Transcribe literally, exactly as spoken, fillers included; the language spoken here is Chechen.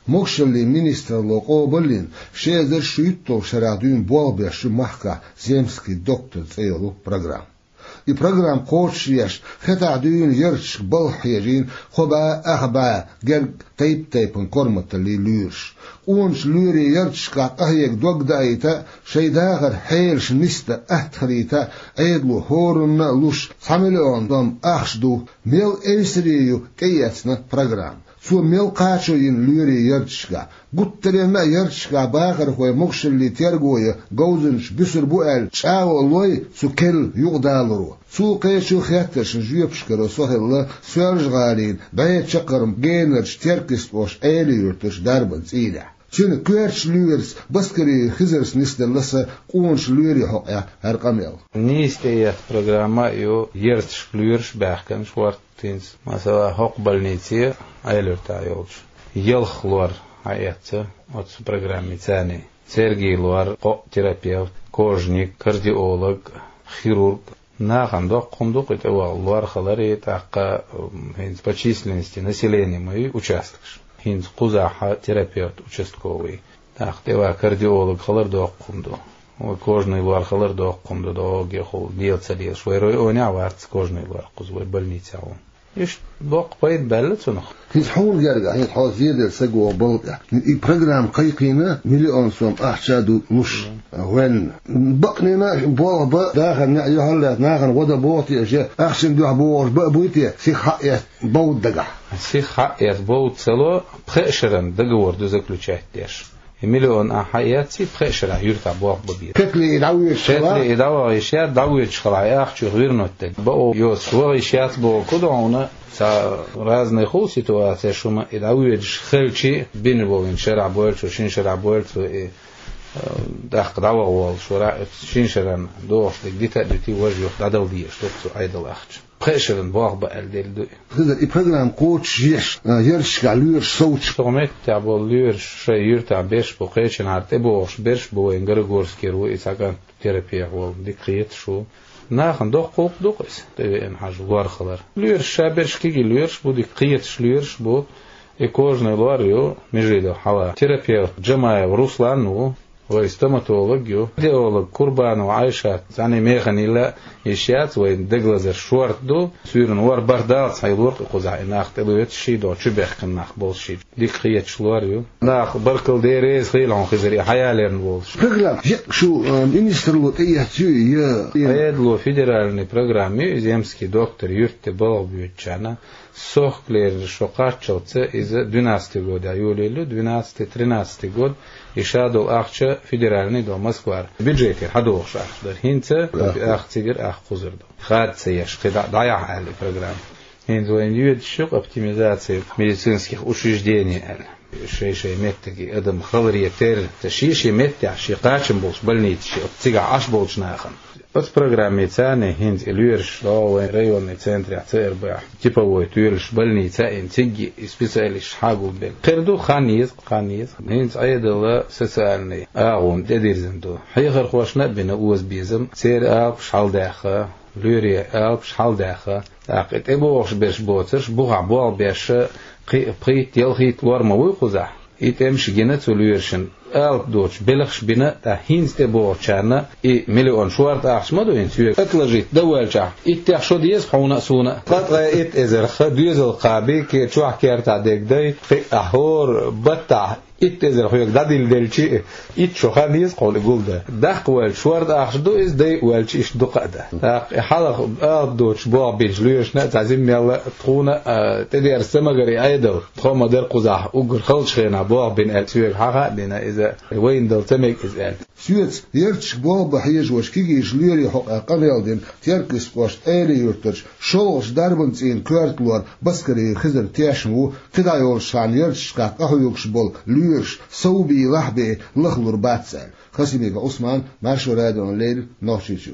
Могушаллин министралло къобалйина ши эзар шуьйтталгӀачу шарахь дуьйна болх беш ю махкахь «Земский доктор» цӀе йолу программа. И программа кхочушъеш, хӀетахь дуьйна ярташка балха хьежийна кхо бӀе, ах бӀе герга тайп-тайпана корматаллин лоьраш. Къоначу лоьрийн ярташкахь къахьега дог даийта а, шайн дахаран хьелаш нисдан атта хилийта а, Ӏедало хӀоранна а луш, цхьа миллион сом ахча ду. Мел эвсаре ю тӀеэцна программа? Цо мел кхачо йина лоьрийн ярташкахь? Гуттаренна а ярташкахь бахархой могушаллин терго ян говзанчаш буьсур бу аьлла чӀагӀо лой цу керла юкъадаларо? Цул кхечу хеттаршна жоьпаш каро со хилла Соьлжа-ГӀалин бӀе чаккхарма генарчу Теркйистхошин Ӏелин-Юьртарчу дарбан цӀийнехь. Цуьнан коьртачу лоьраца Баскарин Хизарца нисделла сан къоначу лоьрийн хьокъехь хӀара къамел. Нийса тӀеэцна программа а ю, ярташка лоьраш а баьхкина шорта. ХӀинца, масала, хӀокху больнице, Ӏелин-Юьртахь йолчу, ялх лор хьаэцна оцу программица. Цаьргий лор, кхоъ терапевт, кожник, кардиолог, хирург. Нахана доккха хӀума ду кху тӀе ваха лор хилар, и тӀаккха, м, хӀинца по численности населения ма ю участкаш. ХӀинца кхузахь терапевт участковый, тӀаккха тӀе ваха кардиолог хилар доккха хӀума ду. Вай кожный лор хилар доккха хӀума ду, догӀу гехула дела ца лелаш. Вай районехь а вац кожный лор кхуза, вай больницехь ву. Иштта боккха пайда баьлла цунах. ХӀинца хьуна гергахь, хӀинца хьо зеделла сагох балха тӀехь. И программа кхайкхийна, миллион сом ахча а ду луш, ваьлла. Бакъ нина болх бан, дахаран неӀ юьхьарлаьцна, нахана гӀо дан боху те аша, ахчанна дуьхьа богӀуш бан а буй те, сиха хьаэцна бовда дагахь? Сиха хьаэцна бовда ца ло, пхеа шаран договор ду заключать деш. И миллион ахь хьаэцций, пхеа шарахь юьртахь болх бан беза. Кхетале и дӀавоьдуш хилахь? Кхетале и дӀаваха йиш яц, дӀавоьдуш хилахь, и ахча юха вернуть дерг. Бакъо йоцуш ваха йиш яц бохург ду хьуна, цхьа разный хуьлу ситуацеш хӀума, и дӀавоьдуш хилчий, бина болу шарахь бойлучо, шина шарахь бойлучо, и, э, тӀаккха дӀаваха волуш вара, оцу шина шаран догӀуш дерг дита а дуьтий, важа юха дӀадала дезаш ду-кх цу Ӏедалан ахча. Пхеа шаран болх бан аьлла делла ду и. Хезар, и программа кхочушъеш, а, ярташкахь лоьраш совцуш. Цу меттехь болу лоьраш шайн юьртахь берш бу, кхечанхьара тӀебогӀуш берш бу, вайн Горогорскера ву и цхьа кӀант, терапевт волу, дика кхеташ ву. Нахана доккха гӀуллакх ду-кх иза, тӀевеана хьажа лор хилар. Лоьраш ша берш кегий лоьраш бу, дика кхеташ лоьраш бу. И кожный лор ю, Межидов хьала. Терапевт Джамаев Руслан ву. Вай стоматолог ю, кардиолог Курбанова Айшат, цхьаьна механа йилла йиш яц, вайн дегалазар шорта ду, суьйранна вар барт даллалц хьан лор кхузахь, и нах тӀелоьцуш ший догӀу, чубехкина нах болуш ший. Дика кхеташ лор ю. Нах баркалла де реза хилла хьуна, Хизар, и хьаяларна волуш. Программа, шу, э, министралло тӀеэцна ю, я? Ӏедало федеральный программа ю, и «Земский доктор» юьртахь балха боьдучарна. Сохкалернаш шо кхаччалца иза двенадцатый годехь йолаелла ю, двенадцатый, тринадцатый год, и ша долу ахча федеральный долу Москвара. Бюджетера хьадогӀуш ахча дара. ХӀинца ах цигара, ах кхузара ду. Хада ца еш, кхидӀа дӀаяхьа аьлла и программа. ХӀинца вайна йоьдуш ю оптимизация медицинских учреждений аьлла. Шай-шай меттиге адам халаре терра, ца шен-шен меттехь, шен кхачам болуш больницаш, цигахь Ӏаш болчу нахана. Оцу программица хӀинца и лоьраш догӀу вайн районный центрехь, ЦРБ-хь, типовой тоьлуш больница а йина, цигахь и специалисташ хьагулбелла. Кхера ду, хан еза, хан еза. ХӀинца Ӏедалан социальный агӀон тӀедирзина ду. Хьехархошна а бина озабезам, церан алапаш хьалдаьхна, лоьрийн алапаш хьалдаьхна. ТӀаккха и тӀебогӀуш берш боцурш, бухахь болх беш, кхин а пхийтта-ялхийтта лор ма вуй кхузахь. И тӀемаш гина цу лоьрашна, алапа доцуш белхаш бина, ткъа хӀинца тӀебогӀучарна и миллион шорта ахча ма ду хӀинца соьга отложить дан воьлчахь, иттех шо деза хьуна а, суна а. Ткъа итт эзарх доьзал кхаби, кхин чохь кертахь дерг дай, кхин а хӀора баттахь итт эзар хьоьга дӀадилла делчи, итт шо хан еза хьуна и гулдан. Даккха воьлча шорта ахча ду иза, дайа воьлча иштта дукха а дан. ТӀаккха и хьалха алапа доцуш болх бинчу лоьрашна а цхьа зиммел а, тхуна а, тӀедерза ца магара и Ӏедал. Тхо ма дара кхузахь уггар халчу хенахь болх бина аьлла, соьга хьаха а дина иза, вайна дала ца мега иза аьлла. Соьца ярташка болх бан хьежош кегийчу лоьрийн хьокъехь къамел дина Теркйистхошна Ӏелин-Юьртарчу шолгӀачу дарбан цӀийнан коьрта лор Баскарин Хизар тешна ву, кхидӀа йолчу шарахь ярташкахь къахьоьгуш болу лоьраш совбийлахь а бен лахлур бац аьлла. Хасимиков Ӏусман, Маршо радиона леррина, Нохчийчоь.